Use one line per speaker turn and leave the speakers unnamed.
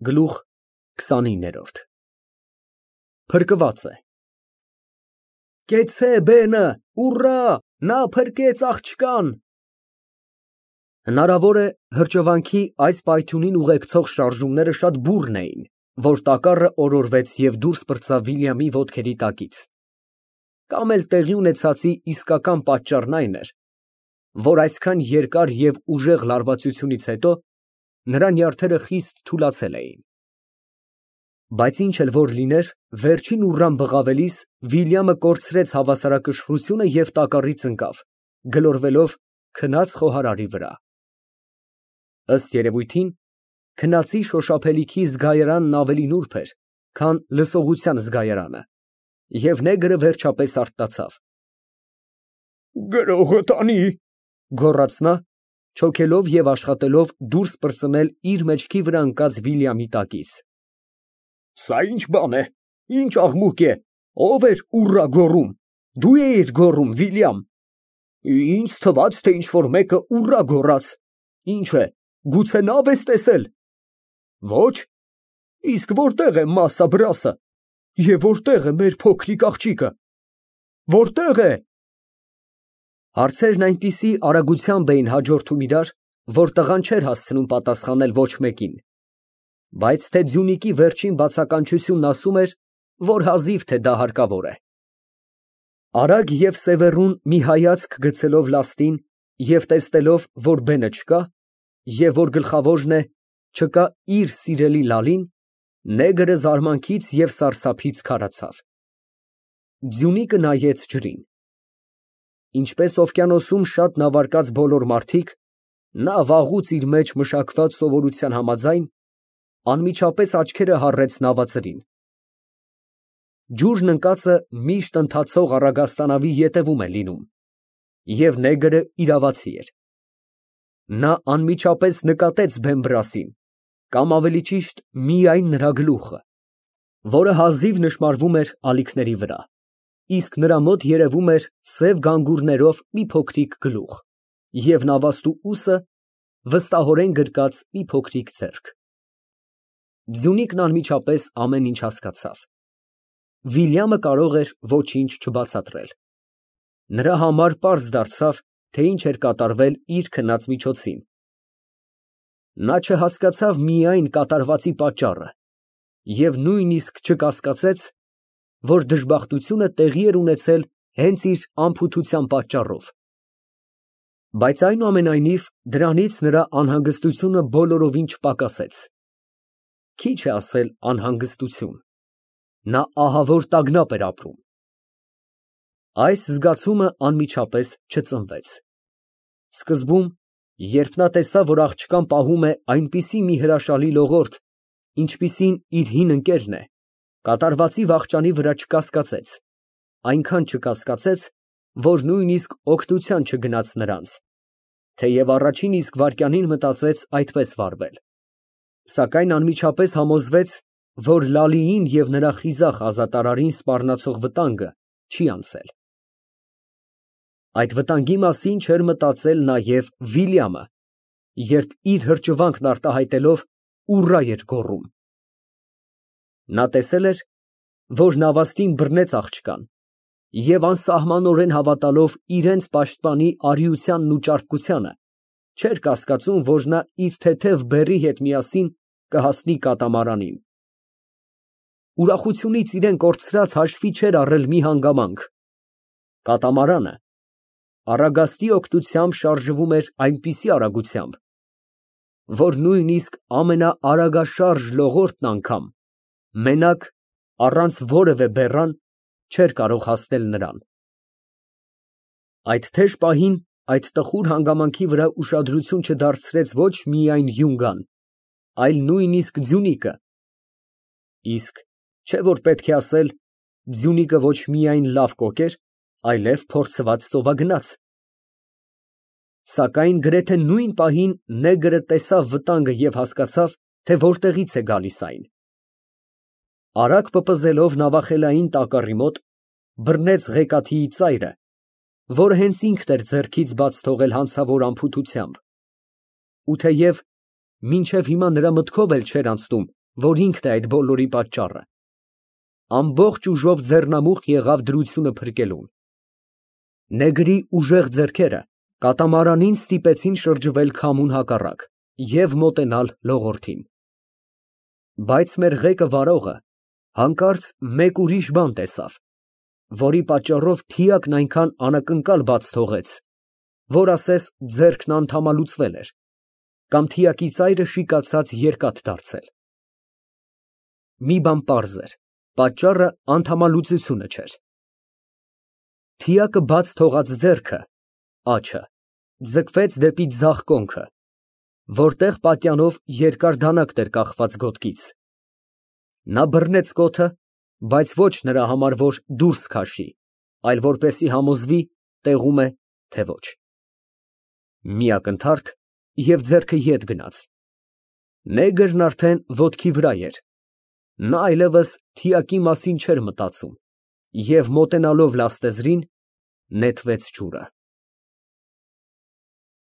Գլուխ 29 Փրկված է։ Կեցցե բենը, ուռա, նա փրկեց աղջկան։ Հնարավոր է հրճվանքի այս պայթյունին ուղեկցող շարժումները շատ բուռն էին, որ տակառը օրորվեց և դուրս պրծավ Վիլյամի ոտքերի տակից։ Կամ էլ տեղի ունեցածի իսկական պատճառն այն էր, որ այսքան երկար և ուժեղ լարվածությունից հետո նրա նյարդերը խիստ թուլացել էին։ Բայց ինչ էլ որ լիներ, վերջին ուռան բղավելիս Վիլյամը կորցրեց հավասարակշռությունը և տակառից ընկավ, գլորվելով քնած խոհարարի վրա։ Ըստ երևույթին, քնածի շոշափելիքի զգայարանն ավելի նուրբ էր, քան լսողության զգայարանը, և նեգրը վերջապես արթնացավ։ «Գրողը տանի», գոռաց նա, չոքելով և աշխատելով դուրս պրծնել իր մեջքի վրա ընկած Վիլյամի տակից։ Սա ի՞նչ բան է, ի՞նչ աղմուկ է, ո՞վ էր ուռա գոռում, դու էիր գոռում, Վիլյամ։ Ինձ թվաց, թե ինչ֊որ մեկը ուռա գոռաց, ինչ է, գուցե նավ ես տեսել։ Ոչ, իսկ որտե՞ղ է Մասա Բրասը, և որտե՞ղ է մեր փոքրիկ աղջիկը, որտե՞ղ է։ Հարցերն այնպիսի արագությամբ էին հաջորդում իրար, որ տղան չէր հասցնում պատասխանել ոչ մեկին, բայց թե ձյունիկի վերջին բացականչությունն ասում էր, որ հազիվ թե դա հարկավոր է։ Արագ և սևեռուն մի հայացք գցելով լաստին և տեսնելով, որ բենը չկա, և որ գլխավորն է, չկա իր սիրելի Լալին, նեգրը զարմանքից և սարսափից քարացավ։ Ձյունիկը նայեց ջրին։ Ինչպես օվկիանոսում շատ նավարկած բոլոր մարդիկ, նա վաղուց իր մեջ մշակված սովորության համաձայն, անմիջապես աչքերը հառեց նավածրին։ Ջուրն ընկածը միշտ ընթացող առագաստանավի ետևում է լինում, և նեգրը իրավացի էր։ Նա անմիջապես նկատեց Բեմբրասին, կամ ավելի ճիշտ միայն նրա գլուխը, որը հազիվ նշմարվում էր ալիքների վրա, իսկ նրա մոտ երևում էր սև գանգուրներով մի փոքրիկ գլուխ և նավաստու ուսը վստահորեն գրկած մի փոքրիկ ձեռք։ Ձյունիկն անմիջապես ամեն ինչ հասկացավ։ Վիլյամը կարող էր ոչինչ չբացատրել։ Նրա համար պարզ դարձավ, թե ինչ էր կատարվել իր քնած միջոցին։ Նա չհասկացավ միայն կատարվածի պատճառը և նույնիսկ չկասկածեց, որ դժբախտությունը տեղի էր ունեցել հենց իր անփութության պատճառով։ Բայց այնուամենայնիվ դրանից նրա անհանգստությունը բոլորովին չպակասեց։ Քիչ է ասել անհանգստություն, նա ահավոր տագնապ էր ապրում։ Այս զգացումը անմիջապես չծնվեց։ Սկզբում, երբ նա տեսավ, որ աղջկան պահում է այնպիսի մի հրաշալի լողորդ, ինչպիսին իր հին ընկերն է, կատարվածի վախճանի վրա չկասկածեց, այնքան չկասկածեց, որ նույնիսկ օգնության չգնաց նրանց, թեև առաջին իսկ վայրկյանին մտածեց այդպես վարվել, սակայն անմիջապես համոզվեց, որ Լալիին և նրա խիզախ ազատարարին սպառնացող վտանգը չի անցել։ Այդ վտանգի մասին չէր մտածել նաև Վիլյամը, երբ իր հրճվանքն արտահայտելով ուռա էր գոռում։ Նա տեսել էր, որ նավաստին բռնեց աղջկան և անսահմանորեն հավատալով իրենց պաշտպանի արիությանն ու ճարպկությանը, չէր կասկածում, որ նա իր թեթև բեռի հետ միասին կհասնի կատամարանին։ Ուրախությունից իրան կորցրած հաշվի չէր առել մի հանգամանք. կատամարանը առագաստի օգնությամբ շարժվում էր այնպիսի արագությամբ, որ նույնիսկ ամենաարագաշարժ լողորդն անգամ, մենակ, առանց որևէ բեռան, չէր կարող հասնել նրան։ Այդ թեժ պահին այդ տխուր հանգամանքի վրա ուշադրություն չդարձրեց ոչ միայն Յունգան, այլ նույնիսկ Ձյունիկը, իսկ չէ՞ որ պետք է ասել, Ձյունիկը ոչ միայն լավ կոկ էր, այլև փորձված ծովագնաց։ Սակայն գրեթե նույն պահին նեգրը տեսավ վտանգը և հասկացավ, թե որտեղից է գալիս այն։ Արագ պպզելով նավախելային տակառի մոտ, բռնեց ղեկաթիի ծայրը, որը հենց ինքն էր ձեռքից բաց թողել հանցավոր անփութությամբ, ու թեև մինչև հիմա նրա մտքով էլ չէր անցնում, որ ինքն է այդ բոլորի պատճառը, ամբողջ ուժով ձեռնամուխ եղավ դրությունը փրկելուն։ Նեգրի ուժեղ ձեռքերը կատամարանին ստիպեցին շրջվել քամուն հակառակ և մոտենալ լողորդին։ Բայց մեր ղեկը վարողը հանկարծ մեկ ուրիշ բան տեսավ, որի պատճառով թիակն այնքան անակնկալ բաց թողեց, որ ասես ձեռքն անդամալուծվել էր, կամ թիակի ծայրը շիկացած երկաթ դարձել։ Մի բան պարզ էր, պատճառը անդամալուծությունը չէր։ Թիակը բաց թողած ձեռքը (աջը) ձգվեց դեպի ձախ կոնքը, որտեղ պատյանով երկար դանակ էր կախված գոտքից։ Նա բռնեց կոթը, բայց ոչ նրա համար, որ դուրս քաշի, այլ որպեսզի համոզվի տեղում է, թե ոչ։ Մի ակնթարթ, և ձեռքը ետ գնաց։ Նեգրն արդեն ոտքի վրա էր։ Նա այլևս թիակի մասին չէր մտածում և, մոտենալով լաստեզրին, նետվեց ջուրը։